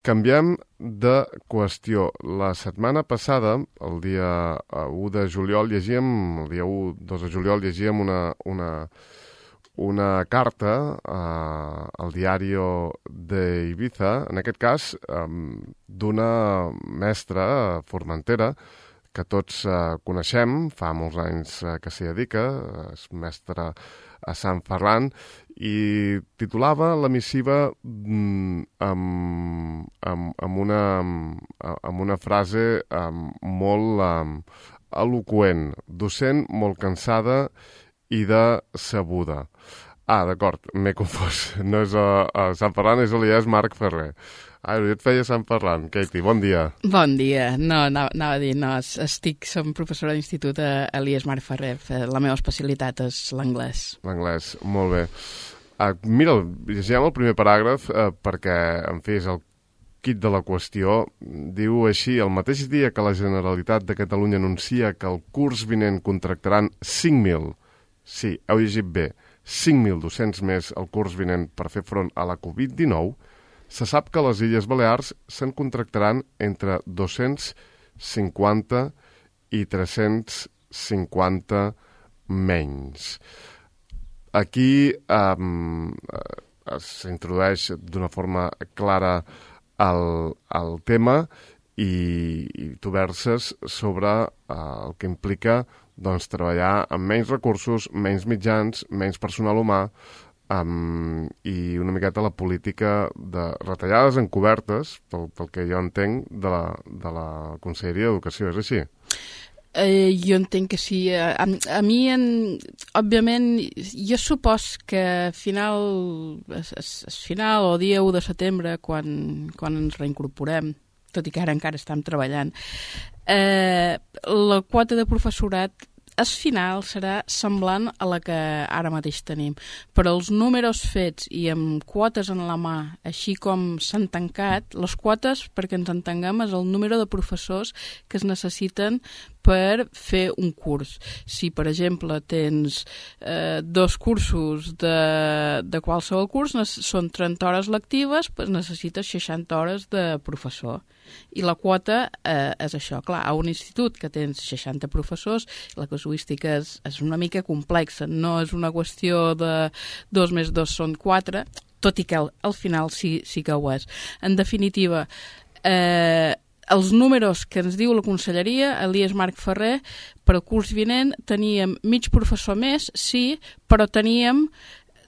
Canviem de qüestió. La setmana passada, el dia 1 de juliol, el dia 2 de juliol, llegíem una carta al Diario de Ibiza, en aquest cas d'una mestra formentera que tots coneixem, fa molts anys que s'hi dedica, és mestra a Sant Ferran, i titulava la missiva amb una frase molt eloqüent: docent molt cansada i decebuda. D'acord, m'he confós. No és a Sant Ferran, és a l'IES Marc Ferrer. Jo et feia Sant Ferran. Katie, bon dia. Bon dia. No, anava a dir, som professora d'institut a l'IES Marc Ferrer. La meva especialitat és l'anglès. L'anglès, molt bé. Mira, llegim el primer paràgraf perquè, en fi, és el quid de la qüestió. Diu així: el mateix dia que la Generalitat de Catalunya anuncia que el curs vinent contractaran 5.000, sí, heu llegit bé, 5.000 docents més el curs vinent per fer front a la Covid-19, se sap que a les Illes Balears se'n contractaran entre 250 i 350 menys. Aquí s'introdueix d'una forma clara el tema i tu verses sobre el que implica treballar amb menys recursos, menys mitjans, menys personal humà, i una miqueta la política de retallades encobertes, pel que jo entenc, de la Conselleria d'Educació. És així? Jo entenc que sí. A mi, òbviament, jo supos que a final o dia 1 de setembre, quan ens reincorporem, tot i que ara encara estem treballant, la quota de professorat final serà semblant a la que ara mateix tenim. Però els números fets i amb quotes en la mà, així com s'han tancat, les quotes, perquè ens entenguem, és el número de professors que es necessiten per fer un curs. Si, per exemple, tens 2 cursos de qualsevol curs, són 30 hores lectives, doncs necessites 60 hores de professor. I la quota és això. Clar, a un institut que tens 60 professors, la casuística és una mica complexa. No és una qüestió de 2 més 2 són 4, tot i que al final sí que ho és. En definitiva, els números que ens diu la Conselleria, a l'IES Marc Ferrer, per al curs vinent teníem mig professor més, sí, però teníem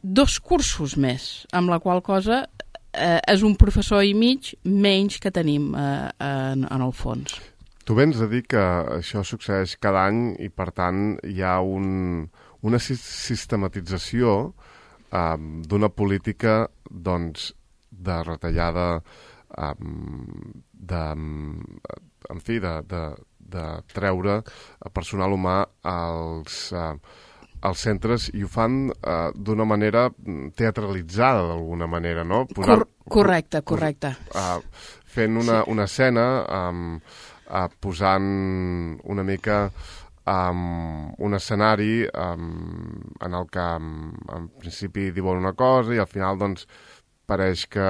2 cursos més, amb la qual cosa és un professor i mig menys que tenim en el fons. Tu vens a dir que això succeeix cada any i, per tant, hi ha una sistematització d'una política de retallada, de treure personal humà als centres, i ho fan d'una manera teatralitzada, d'alguna manera, no? Correcte. Fent una escena, posant una mica un escenari en el que en principi diuen una cosa i al final pareix que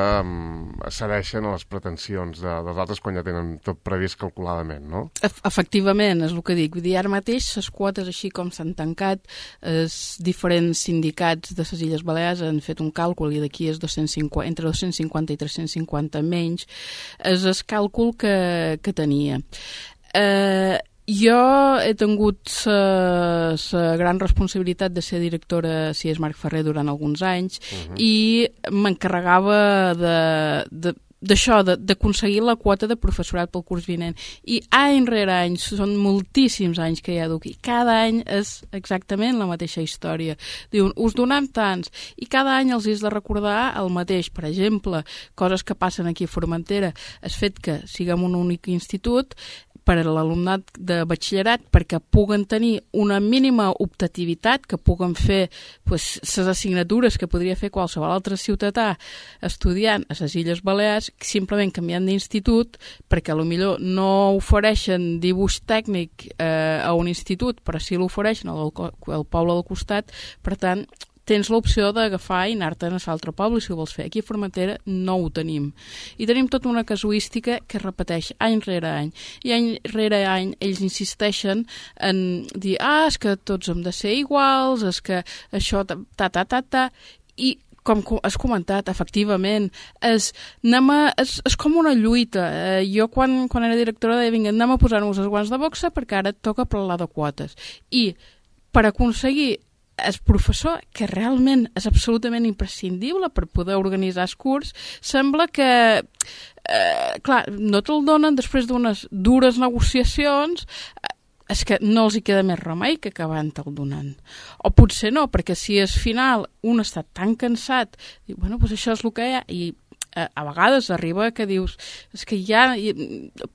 cedeixen a les pretensions dels altres quan ja tenen tot previst calculadament, no? Efectivament, és el que dic. Vull dir, ara mateix les quotes, així com s'han tancat, els diferents sindicats de les Illes Balears han fet un càlcul i d'aquí és entre 250 i 350 menys. És el càlcul que tenia. Jo he tingut la gran responsabilitat de ser directora a CIES Marc Ferrer durant alguns anys i m'encarregava d'això, d'aconseguir la quota de professorat pel curs vinent. I any rere any, són moltíssims anys que hi ha i cada any és exactament la mateixa història. Diuen, us donem tants, i cada any els has de recordar el mateix. Per exemple, coses que passen aquí a Formentera, el fet que siguem un únic institut per a l'alumnat de batxillerat, perquè puguen tenir una mínima optativitat, que puguen fer les assignatures que podria fer qualsevol altre ciutadà estudiant a les Illes Balears, simplement canviant d'institut, perquè potser no ofereixen dibuix tècnic a un institut, però sí l'ofereixen al poble del costat. Per tant, tens l'opció d'agafar i anar-te'n a l'altre poble si ho vols fer. Aquí a Formentera no ho tenim. I tenim tota una casuística que es repeteix any rere any. I any rere any ells insisteixen en dir és que tots hem de ser iguals, és que això i com has comentat, efectivament, és com una lluita. Jo, quan era directora, deia, vinga, anem a posar-nos els guants de boxa perquè ara et toca parlar de quotes. I per aconseguir el professor, que realment és absolutament imprescindible per poder organitzar el curs, sembla que, clar, no te'l donen després d'unes dures negociacions, és que no els hi queda més remei que acabar te'l donant. O potser no, perquè si al final un està tan cansat, diu, bueno, doncs això és el que hi ha, i a vegades arriba que dius, és que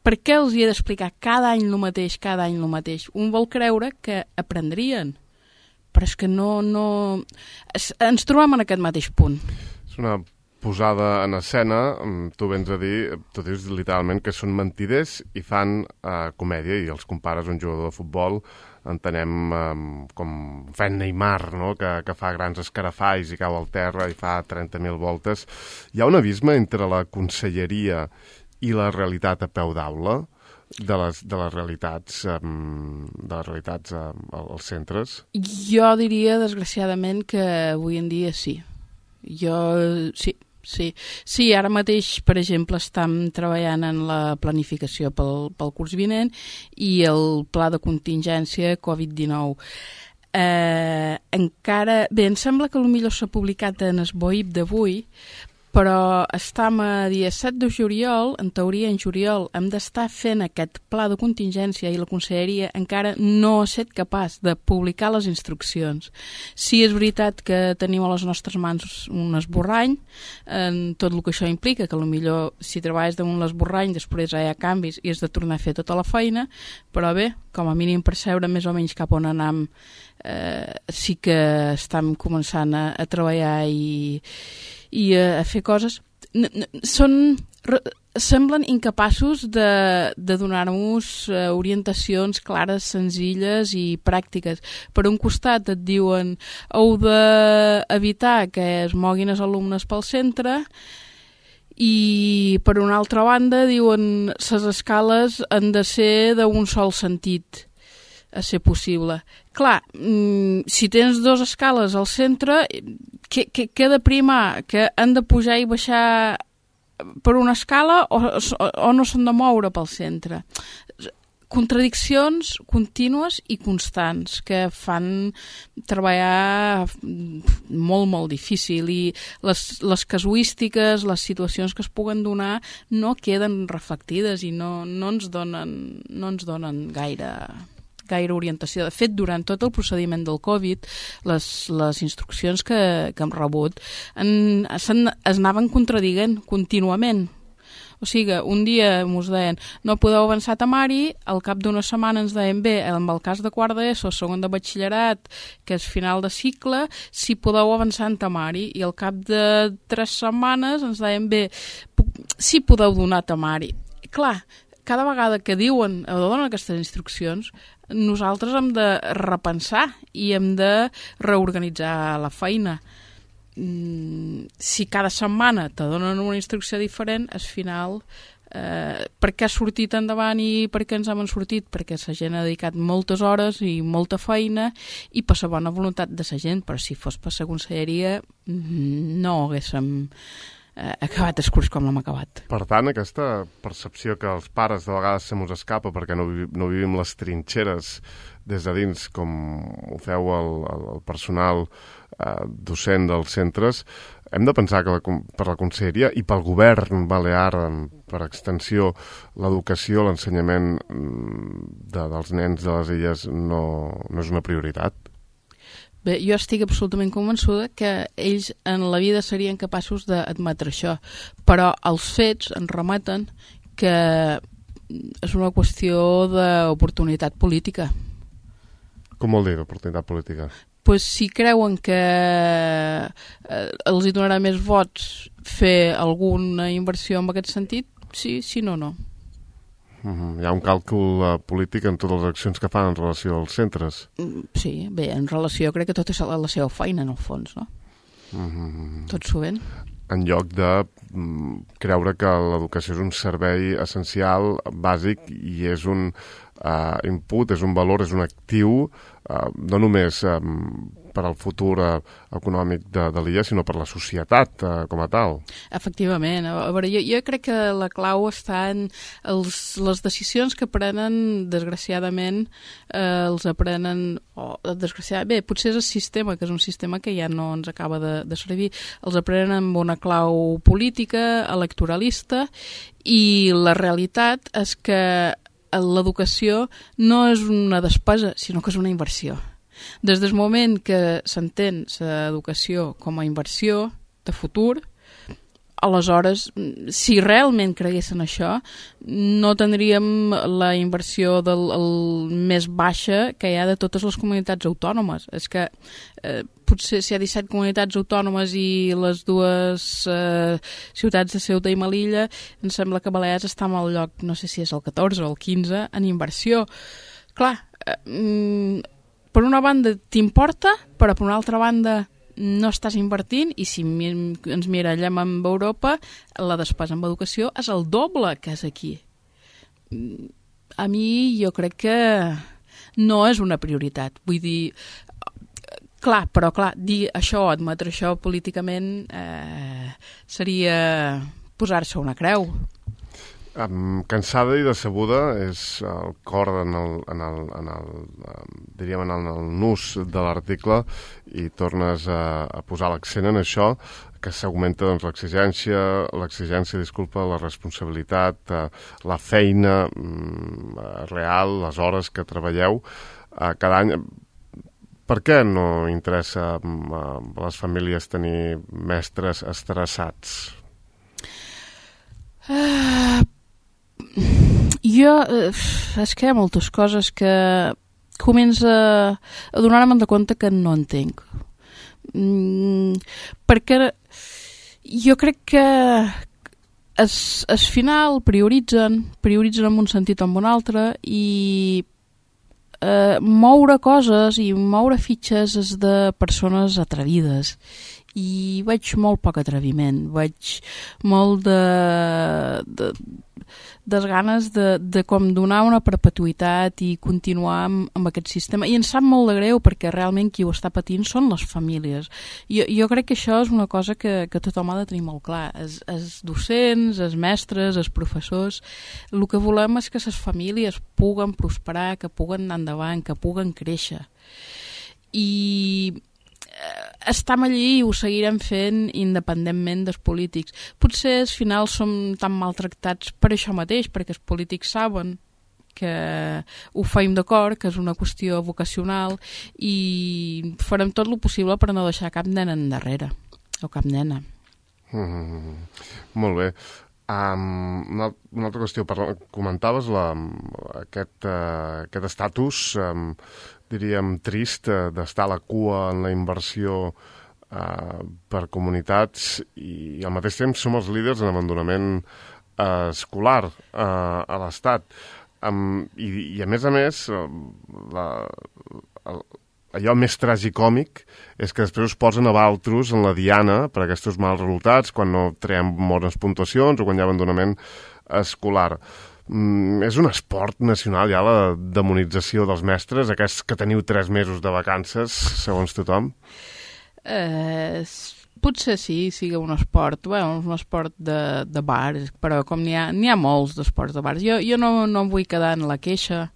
per què els hi he d'explicar cada any el mateix? Un vol creure que aprendrien, però és que no... Ens trobem en aquest mateix punt. És una posada en escena, tu vens a dir, tu dius literalment que són mentiders i fan comèdia, i els compares a un jugador de futbol, entenem com fent Neymar, no? que fa grans escarafalls i cau al terra i fa 30.000 voltes. Hi ha un abisme entre la conselleria i la realitat a peu d'aula, de les realitats als centres? Jo diria, desgraciadament, que avui en dia sí. Sí, ara mateix, per exemple, estem treballant en la planificació pel curs vinent i el pla de contingència Covid-19. Encara... Bé, em sembla que potser s'ha publicat en el BOIP d'avui, però estem a dia 7 de juliol, en teoria en juliol hem d'estar fent aquest pla de contingència i la conselleria encara no ha estat capaç de publicar les instruccions. Sí, és veritat que tenim a les nostres mans un esborrany, en tot el que això implica, que potser si treballes damunt l'esborrany després hi ha canvis i has de tornar a fer tota la feina, però bé, com a mínim percebre més o menys cap on anem, sí que estem començant a treballar i a fer coses. Semblen incapaços de donar-nos orientacions clares, senzilles i pràctiques. Per un costat et diuen heu d'evitar que es moguin els alumnes pel centre i per una altra banda diuen les escales han de ser d'un sol sentit a ser possible. Clar, si tens dues escales al centre, què ha de primar? Que han de pujar i baixar per una escala o no s'han de moure pel centre? Contradiccions contínues i constants que fan treballar molt, molt difícil, i les casuístiques, les situacions que es puguen donar no queden reflectides i no ens donen gaire orientació. De fet, durant tot el procediment del Covid, les instruccions que hem rebut es anaven contradient contínuament. O sigui, un dia ens deien no podeu avançar a temari, al cap d'una setmana ens deien bé, amb el cas de quart d'ESO, segon de batxillerat, que és final de cicle, si podeu avançar en temari, i al cap de 3 setmanes ens deien bé, si podeu donar temari. Clar, cada vegada que diuen o donen aquestes instruccions, nosaltres hem de repensar i hem de reorganitzar la feina. Si cada setmana te donen una instrucció diferent, al final, per què ha sortit endavant i per què ens hem sortit? Perquè la gent ha dedicat moltes hores i molta feina i per la bona voluntat de la gent, però si fos per la conselleria no haguéssim acabat el curs com l'hem acabat. Per tant, aquesta percepció que els pares de vegades se mos escapa perquè no vivim les trinxeres des de dins, com ho feu el personal docent dels centres, hem de pensar que per la conselleria i pel govern balear, per extensió, l'educació, l'ensenyament dels nens de les illes no és una prioritat? Bé, jo estic absolutament convençuda que ells en la vida serien capaços d'admetre això, però els fets ens remeten que és una qüestió d'oportunitat política. Com vol dir, d'oportunitat política? Pues si creuen que els hi donarà més vots fer alguna inversió en aquest sentit, sí, si no, no. Hi ha un càlcul polític en totes les accions que fan en relació als centres. Sí, bé, en relació crec que tot és la seva feina, en el fons, no? Tot sovint. En lloc de creure que l'educació és un servei essencial, bàsic, i és un input, és un valor, és un actiu, no només per al futur econòmic de l'illa, sinó per la societat com a tal. Efectivament. A veure, jo crec que la clau està en les decisions que prenen, desgraciadament, els aprenen... Bé, potser és el sistema, que és un sistema que ja no ens acaba de servir, els aprenen amb una clau política, electoralista, i la realitat és que l'educació no és una despesa, sinó que és una inversió. Des del moment que s'entén l'educació com a inversió de futur, aleshores, si realment creguessin això, no tindríem la inversió més baixa que hi ha de totes les comunitats autònomes. És que potser si hi ha 17 comunitats autònomes i les dues ciutats de Ceuta i Melilla, em sembla que Balears està en el lloc, no sé si és el 14 o el 15, en inversió. Clar, per una banda t'importa, però per una altra banda no estàs invertint, i si ens mirallem amb Europa, la despesa en educació és el doble que és aquí. A mi jo crec que no és una prioritat. Vull dir, clar, dir això, admetre això políticament seria posar-se una creu. Cansada i decebuda és el cor diríem en el nus de l'article, i tornes a posar l'accent en això, que s'augmenta doncs, l'exigència, la responsabilitat, la feina real, les hores que treballeu cada any. Per què no interessa a les famílies tenir mestres estressats? És que hi ha moltes coses que comença a donar-me de compte que no entenc. Perquè jo crec que al final prioritzen en un sentit o en un altre, i moure coses i moure fitxes és de persones atrevides, i veig molt poc atreviment, veig molt de ganes de com donar una perpetuïtat i continuar amb aquest sistema, i em sap molt de greu perquè realment qui ho està patint són les famílies. Jo crec que això és una cosa que tothom ha de tenir molt clar, els docents, els mestres, els professors. El que volem és que les famílies puguen prosperar, que puguen anar endavant, que puguen créixer, i estem allí i ho seguirem fent independentment dels polítics. Potser al final som tan maltractats per això mateix, perquè els polítics saben que ho feim d'acord, que és una qüestió vocacional, i farem tot el possible per no deixar cap nena endarrere, o cap nena. Molt bé. Una altra qüestió, comentaves aquest estatus, diríem, trist d'estar a la cua en la inversió per comunitats, i al mateix temps som els líders en abandonament escolar a l'Estat. I a més, allò més tragicòmic és que després us posen a valtros en la diana per aquests mals resultats, quan no traiem bones puntuacions o quan hi ha abandonament escolar. És un esport nacional ja la demonització dels mestres, aquests que teniu 3 mesos de vacances, segons tothom? Potser sí, sigui un esport, un esport de bar, però com n'hi ha molts d'esports de bars. Jo no em vull quedar en la queixa,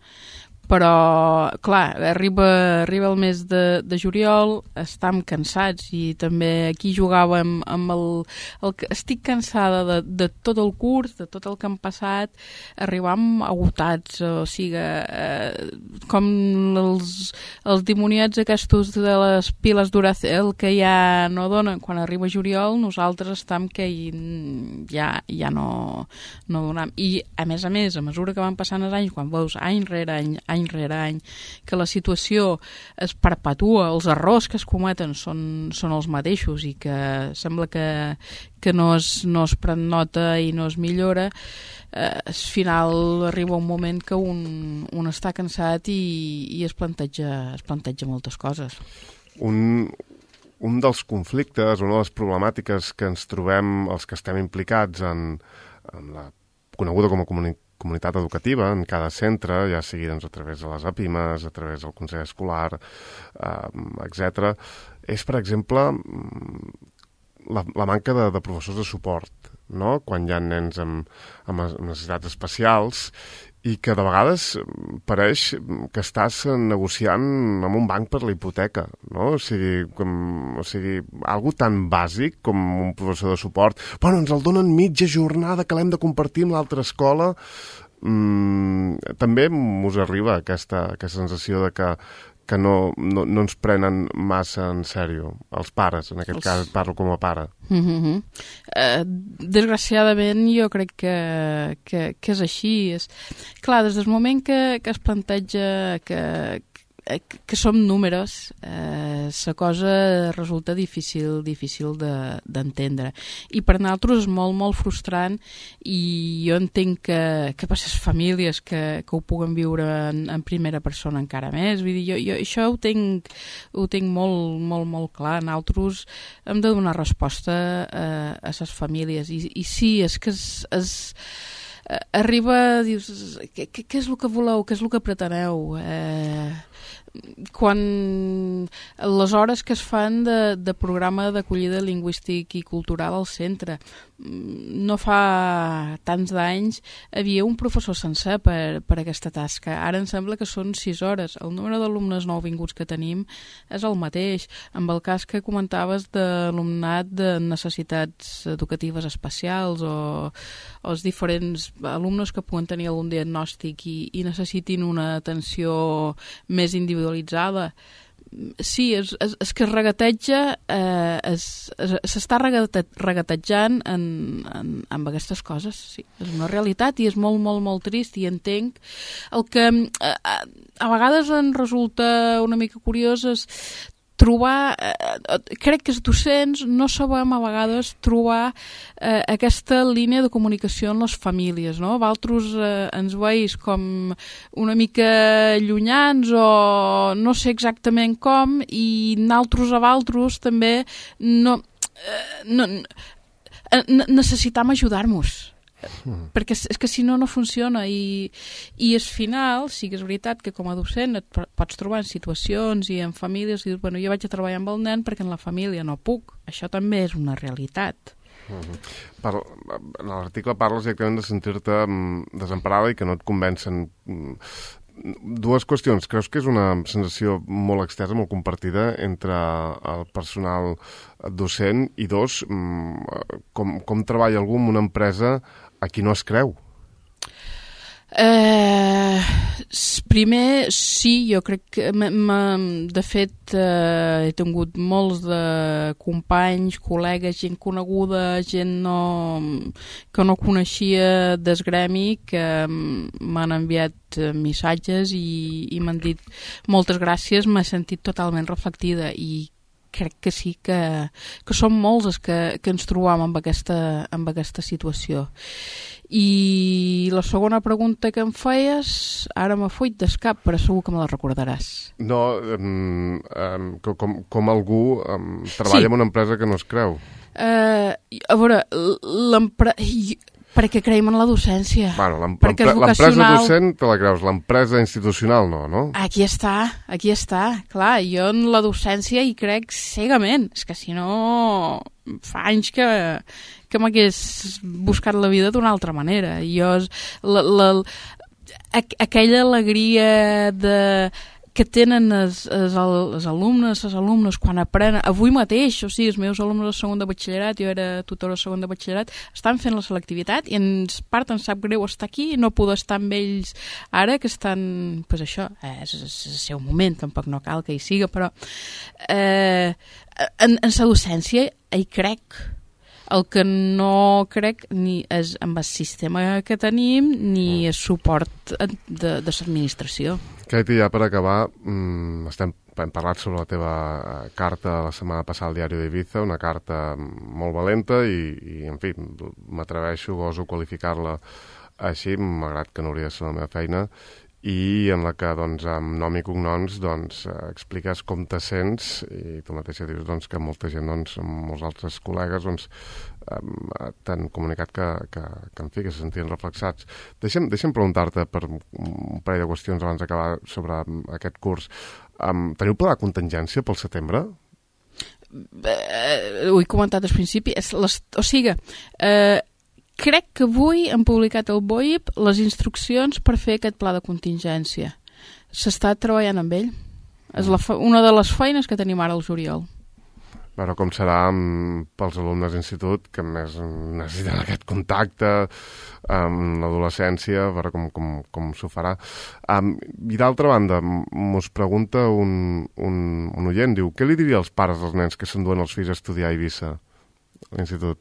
però, clar, arriba el mes de juliol, estem cansats, i també aquí jugàvem amb estic cansada de tot el curs, de tot el que hem passat, arribam agotats, o sigui, com els dimoniats aquests de les piles Duracell que ja no donen. Quan arriba juliol, nosaltres estem que ja no donem. I, a més, a mesura que van passant els anys, quan veus any rere any any rere any, que la situació es perpetua, els errors que es cometen són els mateixos i que sembla que no es pren nota i no es millora, al final arriba un moment que un està cansat i es planteja moltes coses. Un dels conflictes, una de les problemàtiques que ens trobem els que estem implicats en la coneguda com a comunitat educativa en cada centre, ja sigui doncs, a través de les APIMES, a través del Consell Escolar, etc., és, per exemple, la manca de professors de suport, no? Quan hi ha nens amb necessitats especials i que de vegades pareix que estàs negociant amb un banc per la hipoteca, no? O sigui, algo tan bàsic com un professor de suport. Bueno, ens el donen mitja jornada que l'hem de compartir amb l'altra escola. També us arriba aquesta sensació de que no ens prenen massa en sèrio, els pares, en aquest cas parlo com a pare. Desgraciadament jo crec que és així. Clar, des del moment que es planteja que som números, la cosa resulta difícil d'entendre. I per nosaltres és molt, molt frustrant i jo entenc que per les famílies que ho puguen viure en primera persona encara més. Vull dir, jo això ho tenc molt, molt, molt clar. Nosaltres hem de donar resposta a les famílies. I sí, és que arriba, dius, què és el que voleu, què és el que preteneu? Quan les hores que es fan de programa d'acollida lingüístic i cultural al centre, no fa tants d'anys havia un professor sencer per aquesta tasca. Ara em sembla que són 6 hores. El número d'alumnes nouvinguts que tenim és el mateix. Amb el cas que comentaves de l'alumnat de necessitats educatives especials o els diferents alumnes que puguen tenir algun diagnòstic i necessitin una atenció més individualitzada. Sí, és que es regateja, s'està regatejant amb aquestes coses, sí. És una realitat i és molt, molt, molt trist i entenc. El que a vegades em resulta una mica curiós és trobar, crec que els docents no sabem a vegades trobar aquesta línia de comunicació amb les famílies, no? Vosaltres ens veus com una mica llunyans o no sé exactament com i nosaltres a vosaltres també necessitam ajudar-nos. Perquè és que si no funciona i al final sí que és veritat que com a docent et pots trobar en situacions i en famílies i dius, bueno, jo vaig a treballar amb el nen perquè en la família no puc. Això també és una realitat. En l'article parles directament de sentir-te desemparada i que no et convencen. Dues qüestions. Creus que és una sensació molt extensa, molt compartida entre el personal docent i dos, com treballa algú en una empresa a qui no es creu? Primer, sí, jo crec que de fet he tingut molts de companys, col·legues, gent coneguda, gent que no coneixia del gremi, que m'han enviat missatges i m'han dit moltes gràcies, m'he sentit totalment reflectida i crec que sí, que som molts els que ens trobam amb aquesta situació. I la segona pregunta que em feies, ara m'ha fuit del cap, però segur que me la recordaràs. No, com algú treballa en una empresa que no es creu. A veure, perquè creiem en la docència. Bueno, l'empresa docent te la creus, l'empresa institucional no? Aquí està. Clar, jo en la docència hi crec cegament. És que si no, fa anys que m'hagués buscat la vida d'una altra manera. Jo, aquella alegria que tenen els alumnes, les alumnes, quan aprenen, avui mateix, o sigui, els meus alumnes de segon de batxillerat, jo era tutora de segon de batxillerat, estan fent la selectivitat i ens sap greu estar aquí i no poder estar amb ells ara, que estan, doncs això, és el seu moment, tampoc no cal que hi siga, però en la docència hi crec. El que no crec ni és amb el sistema que tenim ni el suport de l'administració. Katie, ja per acabar, hem parlat sobre la teva carta la setmana passada al diari d'Ibiza, una carta molt valenta i en fi, m'atreveixo, goso qualificar-la així, malgrat que no hauria de ser la meva feina, i en la que, doncs, amb nom i cognoms, doncs, expliques com te sents i tu mateixa dius, doncs, que molta gent, doncs, molts altres col·legues, doncs, t'han comunicat que en fi, que se sentien reflexats. Deixa'm preguntar-te per un parell de qüestions abans d'acabar sobre aquest curs. Teniu pla de contingència pel setembre? Ho he comentat al principi. Crec que avui han publicat el BOIP les instruccions per fer aquest pla de contingència. S'està treballant amb ell. És una de les feines que tenim ara al juliol. Veure com serà pels alumnes d'institut que més necessiten aquest contacte amb l'adolescència, a veure com s'ho farà. I d'altra banda, mos pregunta un oient, diu, què li diria als pares dels nens que s'enduen els fills a estudiar a Eivissa, a l'institut?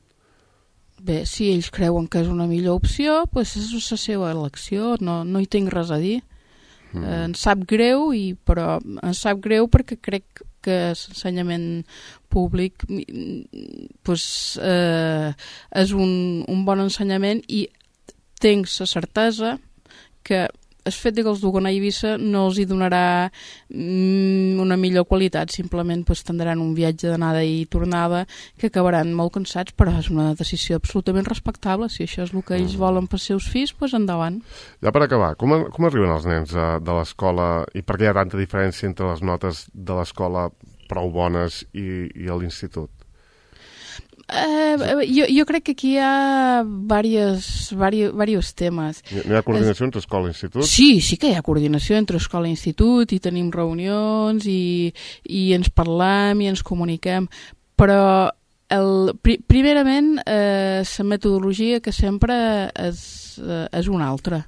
Bé, si ells creuen que és una millor opció, doncs és la seva elecció, no hi tinc res a dir. Em sap greu, però em sap greu perquè crec que l'ensenyament públic és un bon ensenyament i tinc la certesa que el fet que els duguen a Eivissa no els hi donarà una millor qualitat, simplement tindran un viatge d'anada i tornada que acabaran molt cansats, però és una decisió absolutament respectable. Si això és el que ells volen pels seus fills, doncs endavant. Ja per acabar, com arriben els nens de l'escola i per què hi ha tanta diferència entre les notes de l'escola prou bones i a l'institut? Jo crec que aquí hi ha diversos temes. No hi ha coordinació entre escola i institut? Sí que hi ha coordinació entre escola i institut i tenim reunions i ens parlem i ens comuniquem, però primerament la metodologia que sempre és una altra.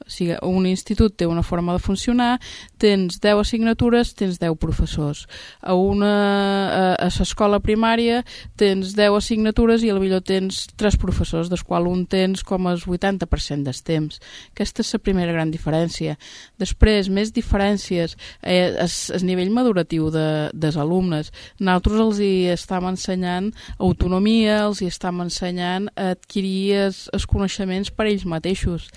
O sigui, un institut té una forma de funcionar, tens 10 assignatures, tens 10 professors. A l'escola primària tens 10 assignatures i potser tens 3 professors, dels quals un tens com el 80% del temps. Aquesta és la primera gran diferència. Després, més diferències, el nivell maduratiu dels alumnes. Nosaltres els hi estem ensenyant autonomia, els hi estem ensenyant a adquirir els coneixements per ells mateixos.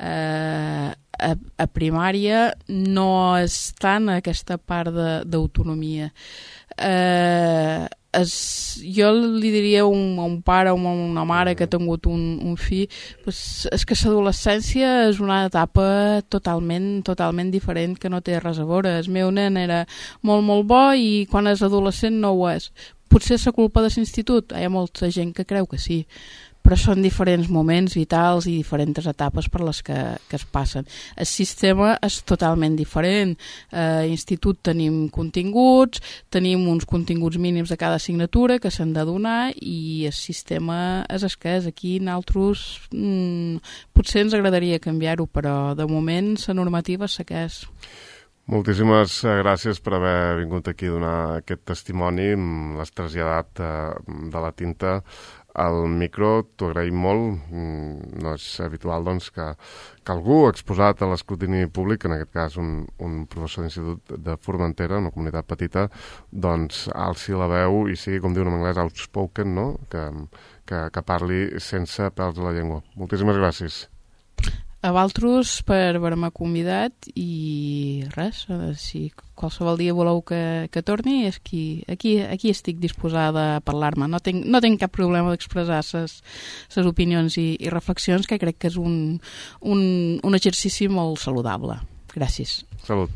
A primària no és tant aquesta part d'autonomia. Jo li diria a un pare o a una mare que ha tingut un fill, és que l'adolescència és una etapa totalment diferent que no té res a veure. El meu nen era molt bo i quan és adolescent no ho és. Potser és la culpa de l'institut? Hi ha molta gent que creu que sí, però són diferents moments vitals i diferents etapes per les que es passen. El sistema és totalment diferent. A l'institut tenim continguts, tenim uns continguts mínims de cada assignatura que s'han de donar i el sistema és el que és. Aquí nosaltres potser ens agradaria canviar-ho, però de moment la normativa és la que és. Moltíssimes gràcies per haver vingut aquí a donar aquest testimoni. L'has traslladat de la tinta al micro, t'ho agraïm molt. No és habitual doncs, que algú exposat a l'escrutini públic, en aquest cas un professor d'institut de Formentera, una comunitat petita, doncs alci la veu i sigui, com diuen en anglès, outspoken, no? Que parli sense pèls de la llengua. Moltíssimes gràcies. A vosaltres per haver-me convidat i res, si qualsevol dia voleu que torni, aquí estic disposada a parlar-me. No tinc cap problema d'expressar les opinions i reflexions, que crec que és un exercici molt saludable. Gràcies. Salut.